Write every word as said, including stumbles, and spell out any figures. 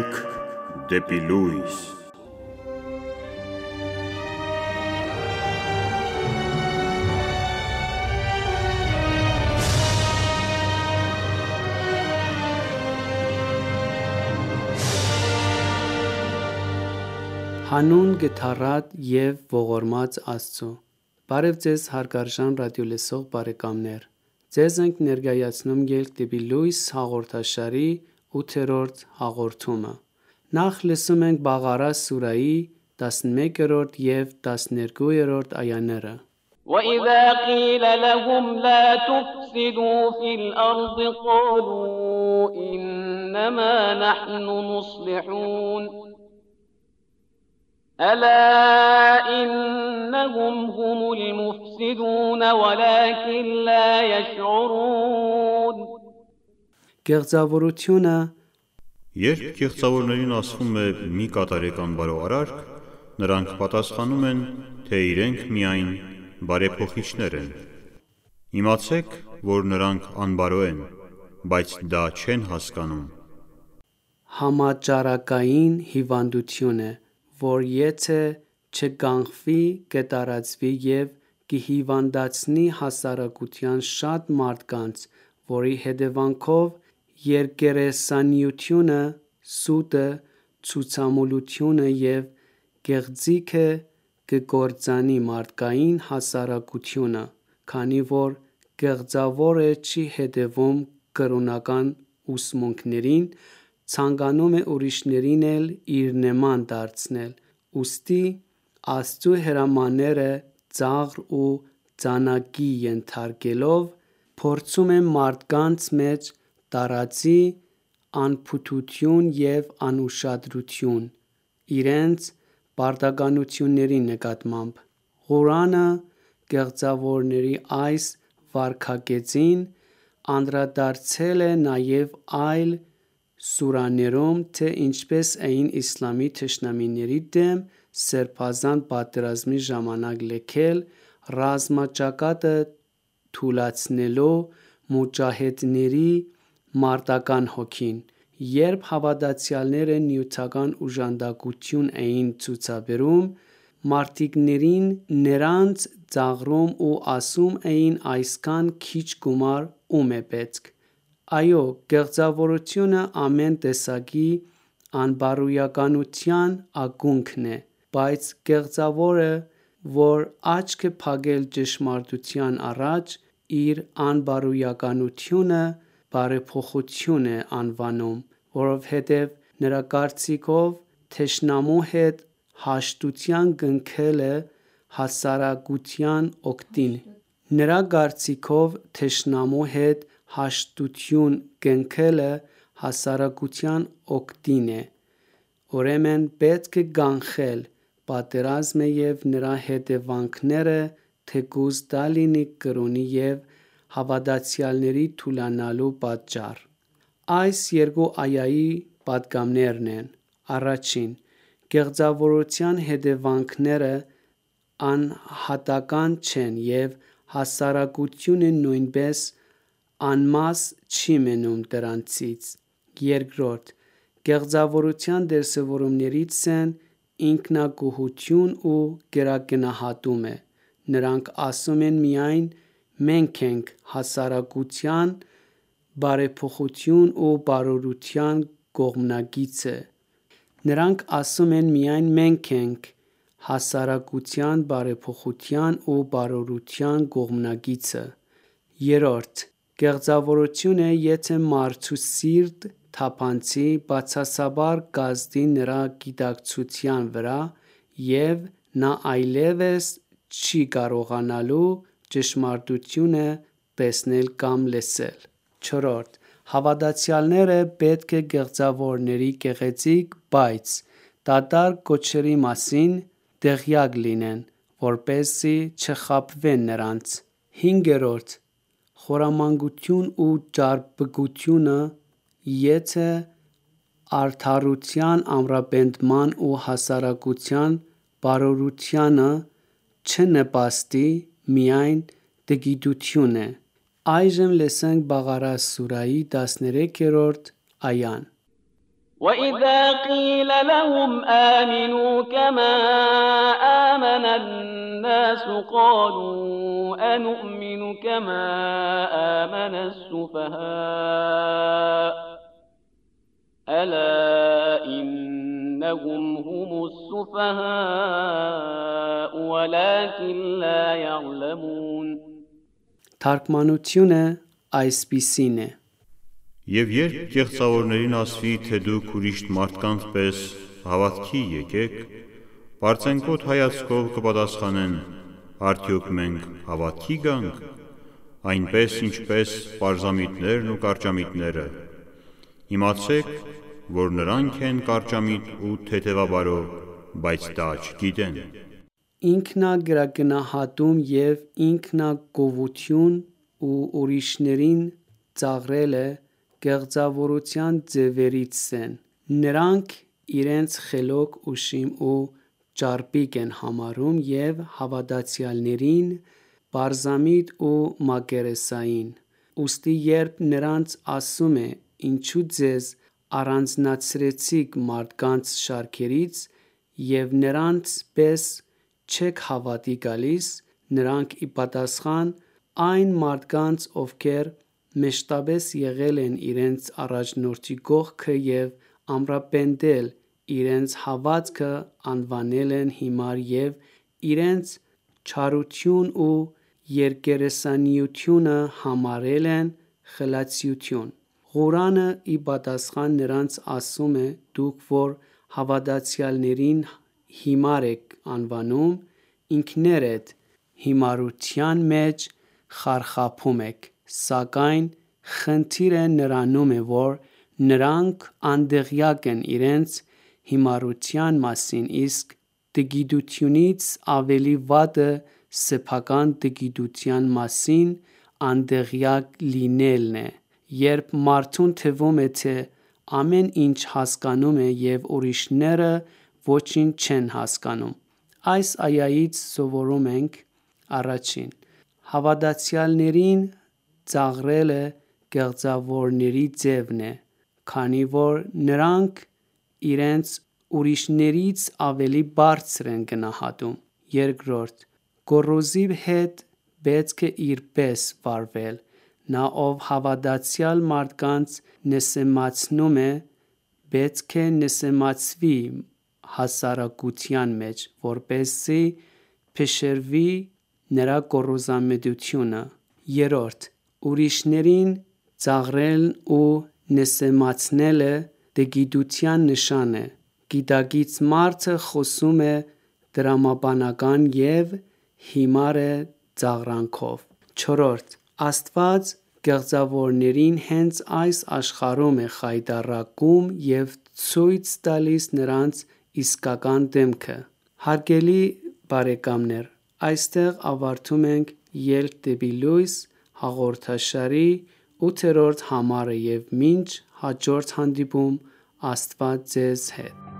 Կյանք դեպի լույս։ Հանուն գթառատ և ողորմած Աստծո։ Բարև ձեզ հարգարժան ռադիոլսող բարեկամներ։ Ձեզ ենք ներկայացնում «Ելք դեպի լույս» հաղորդաշարի ութերորդ հաղորդումը։ Նախ լսում ենք Բաղարա սուրահի տասնմեկերորդ և տասներկուերորդ այաները։ وَإِذَا قِيلَ لَهُمْ لَا تُفْسِدُوا فِي الْأَرْضِ قَالُوا إِنَّمَا نَحْنُ مُصْلِحُونَ أَلَا إِنَّهُمْ هُمُ الْمُفْسِدُونَ وَلَكِنْ لَا يَشْعُرُونَ Գեղձավորությունը Երբ գեղձավորներին ասվում է մի կատարեկան բարոյարարք, նրանք պատասխանում են, թե իրենք միայն բարեփոխիչներ են։ Իմացեք, որ նրանք անբարո են, բայց դա չեն հասկանում։ համաճարակային հիվանդություն է, որ եթե չկանգնվի, կտարածվի և կհիվանդացնի հասարակության շատ մարդկանց, որի հետևանքով երկերեսանիությունը, սուտը, ցուցամոլությունը և գեղձիքը կկործանի մարդկային հասարակությունը, քանի որ գեղձավորը չի հետևում կրոնական ուսմունքներին, ցանկանում է ուրիշներին էլ իր նման դարձնել, ուստի Աստծու հրամանները ծաղր ու ծանակի ենթարկելով, փորձում է մարդկանց մեջ տարածի անփութություն և անուշադրություն իրենց պարտականությունների նկատմամբ։ Ղուրանը գեղձավորների այս վարքագծին անդրադարձել է նաև այլ սուրահներում, թե ինչպես էին իսլամի թշնամիների դեմ սրբազան պատերազմի ժամանակ լքել ռազմաճակատը թուլացնելով մուջահեդների մարտական հոգին։ Երբ հավատացյալները նյութական օժանդակություն էին ցուցաբերում մարտիկներին, նրանց ծաղրում ու ասում էին այսքան քիչ գումար ո՞ւմ է պետք։ Այո, գեղձավորությունը ամեն տեսակի անբարոյականության ակունքն է, բայց գեղձավորը, որ աչք է փակել ճշմարտության առաջ, իր անբարոյականությունը բարեփոխություն է անվանում, որովհետև նրա կարծիքով թշնամու հետ հաշտություն կնքելը հասարակության օգտին է։ Նրա կարծիքով թշնամու հետ հաշտություն կնքելը հասարակության օգտին է, ուրեմն պետք է կանխել պատերազմը և նրա հետևանքները, թեկուզ դա լինի կրոնի և հավատացյալների թուլանալու պատճառ։ Այս երկու այայի պատգամներն են. Առաջին՝ գեղձավորության հետևանքները անհատական չեն և հասարակությունը նույնպես անմաս չի մնում դրանցից։ Երկրորդ՝ գեղձավորության դրսևորումներից են ինքնագոհություն ու գերագնահատումը։ Նրանք ասում են միայն մենք ենք հասարակության բարեփոխության ու բարօրության կողմնակիցը։ Նրանք ասում են միայն մենք ենք հասարակության բարեփոխության ու բարօրության կողմնակիցը։ Երրորդ՝ գեղձավորությունը եթե մարդու սիրտ թափանցի, բացասաբար կազդի նրա գիտակցության վրա, և նա այլևս չի կարողանալու ճշմարտությունը տեսնել կամ լսել։ Չորրորդ՝ հավատացյալները պետք է գեղձավորների գեղեցիկ, բայց դատարկ կոչերի մասին տեղյակ լինեն, որպեսզի չխաբվեն նրանց։ Հինգերորդ՝ խորամանկություն ու ճարպկությունը եթե արդարության ամրապնդման ու հասարակության բարօրությանը չնպաստի, միայն տգիտություն է։ Այժմ լսենք Բաղարա սուրահի տասներեքերորդ այան։ وَإِذَا قِيلَ لَهُمْ آمِنُوا كَمَا آمَنَ النَّاسُ قَالُوا أَنُؤْمِنُ كَمَا آمَنَ السُّفَهَاءُ أَلَا إِنَّهُمْ هُمُ السُّفَهَاءُ وَلَكِنْ لَا يَعْلَمُونَ Թարգմանությունը այսպիսին է. Եվ երբ կեղծավորներին ասվի, թե դուք ուրիշ մարդկանց պես հավատքի եկեք, պարծենկոտ հայացքով կպատասխանեն, արդյոք մենք հավատքի գանք, այնպես ինչպես պարզամիտներն ու կարճամիտները, իմացեք, որ նրանք են կարճամիտ ու թեթևաբարո, բայց դա չգիտեն։ Ինքնագրագնահատում և ինքնագովություն ու ուրիշներին ծաղրելը կեղծավորության ձևերից են։ Նրանք իրենց խելոք, ուշիմ ու ճարպիկ են համարում և հավատացյալներին պարզամիտ ու մակերեսային։ Ուստի երբ նրանց ասում է. «Ինչու ձեզ առանձնացրեցիք մարդկանց շարքերից և նրանց պես չեք հավատի գալիս», նրանք ի պատասխան այն մարդկանց, ովքեր մշտապես եղել են իրենց առաջնորդի կողքը և ամրապնդել իրենց հավատքը, անվանել են հիմար և իրենց չարություն ու երկերեսայնությունը համարել են խելացիություն։ Ղուրանը ի պատասխան նրանց ասում է. «Դուք որ հավատացյալներին հիմար եք անվանում, ինքներդ հիմարության մեջ խարխափում եք, սակայն խնդիրը նրանում է, որ նրանք անդեղյակ են իրենց հիմարության մասին, իսկ տգիտությունից ավելի վատը սեփական տգիտության մասին անդեղյակ լինելն է, երբ մարդուն թվում է, թե ամեն ինչ հասկանում է և ուրիշները ոչինչ չեն հասկանում»։ Այս այայից սովորում ենք. Առաջին. Հավատացյալներին ծաղրելը կեղծավորների ձևն է, քանի որ նրանք իրենց ուրիշներից ավելի բարձր են գնահատում։ Երկրորդ. Գոռոզի հետ պետք է իր պես վարվել։ Նա, ով հավատացյալ մարդկանց նսեմացնում է, պետք է նսեմացվի հասարակության մեջ, որպեսզի փշրվի նրա գոռոզամետությունը։ Երրորդ. Ուրիշներին ծաղրելն ու նսեմացնելը տգիտության նշան է։ Գիտակից մարդը խոսում է տրամաբանական և հիմար է ծաղրանքով։ Չորրորդ. Աստված կեղծավորներին հենց այս աշխարհում է խայտառակում և ցույց տալիս նրանց իսկական դեմքը։ Հարգելի բարեկամներ, այստեղ ավարտում ենք «Ելք դեպի լույս» հաղորդաշարի ութերորդ համարը և մինչ հաջորդ հանդիպում Աստված ձեզ հետ։